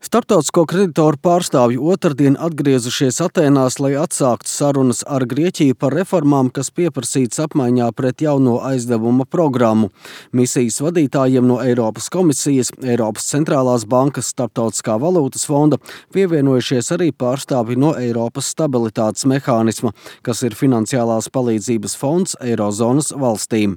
Starptautisko kreditoru pārstāvji otrdien atgriezušies Atēnās, lai atsāktu sarunas ar Grieķiju par reformām, kas pieprasītas apmaiņā pret jauno aizdevuma programmu. Misijas vadītājiem no Eiropas komisijas, Eiropas centrālās bankas, Starptautiskā valūtas fonda pievienojušies arī pārstāvji no Eiropas stabilitātes mehānisma, kas ir finansiālās palīdzības fonds Eirozonas valstīm.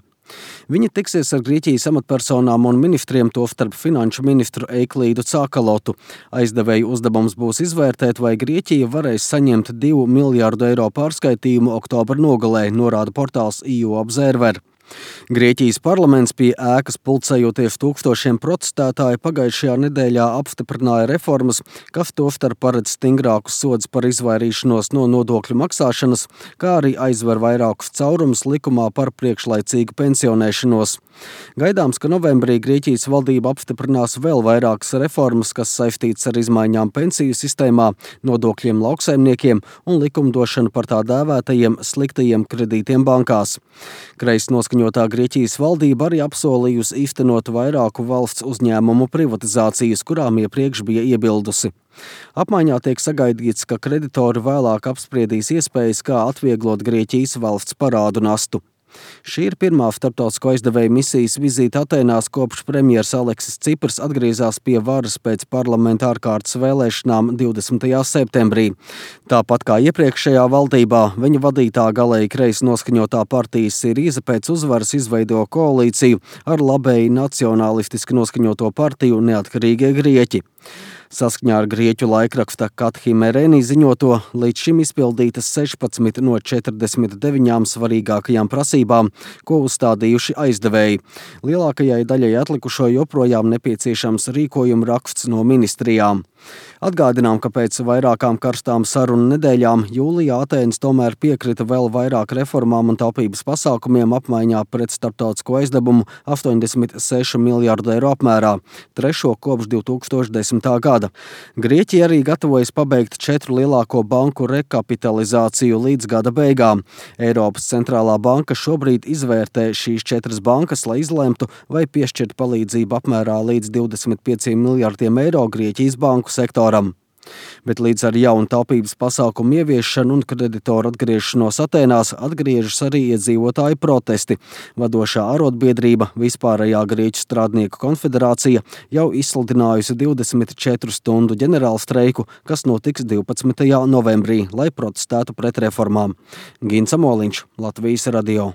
Viņi tiksies ar Grieķijas amatpersonām un ministriem, tostarp finanšu ministru Eiklīdu Cakalotu. Aizdevēju uzdevums būs izvērtēt, vai Grieķija varēs saņemt 2 miljārdu eiro pārskaitījumu oktobra nogalē, norāda portāls EU Observer. Grieķijas parlaments pie ēkas pulcējoties tūkstošiem protestētāju pagājušajā nedēļā apstiprināja reformas, kas tostarp paredz stingrākus sodus par izvairīšanos no nodokļu maksāšanas, kā arī aizver vairākus caurumus likumā par priekšlaicīgu pensionēšanos. Gaidāms, ka novembrī Grieķijas valdība apstiprinās vēl vairākas reformas, kas saistītas ar izmaiņām pensiju sistēmā, nodokļiem lauksaimniekiem un likumdošanu par tā dēvētajiem sliktajiem kredītiem bankās. Kreisnoskaņotā Grieķijas valdība arī apsolījusi īstenot vairāku valsts uzņēmumu privatizācijas, kurām iepriekš bija iebildusi. Apmaiņā tiek sagaidīts, ka kreditori vēlāk apspriedīs iespējas, kā atvieglot Grieķijas valsts parādu nastu. Šī ir pirmā starptautisko aizdevēju misijas vizīte Atēnās, kopš premjers Aleksis Ciprs atgriezās pie varas pēc parlamenta ārkārtas vēlēšanām 20. septembrī. Tāpat kā iepriekšējā valdībā, viņa vadītā galēji kreisi noskaņotā partija Sirīza pēc uzvaras izveido koalīciju ar labēji nacionālistiski noskaņoto partiju Neatkarīgie Grieķi. Saskaņā ar grieķu laikraksta Kathimerēni ziņoto, līdz šim izpildītas 16 no 49 svarīgākajām prasībām, ko uzstādījuši aizdevēji. Lielākajai daļai atlikušo joprojām nepieciešams rīkojuma raksts no ministrijām. Atgādinām, ka pēc vairākām karstām sarunu nedēļām jūlijā Atēnas tomēr piekrita vēl vairāk reformām un taupības pasākumiem apmaiņā pret starptautisko aizdevumu 86 miljārdu eiro apmērā, trešo kopš 2010. gada. Grieķija arī gatavojas pabeigt 4 lielāko banku rekapitalizāciju līdz gada beigām. Eiropas centrālā banka šobrīd izvērtē šīs 4 bankas, lai izlemtu, vai piešķirt palīdzību apmērā līdz 25 miljārdiem eiro Grieķijas banku sektoram. Bet līdz ar jaunu taupības pasākumu ieviešanu un kreditoru atgriešanos Atēnās atgriežas arī iedzīvotāju protesti. Vadošā arotbiedrība Vispārējā Grieķu strādnieku konfederācija jau izsludinājusi 24 stundu ģenerālstreiku, kas notiks 12. novembrī, lai protestētu pret reformām. Gins Amoliņš, Latvijas radio.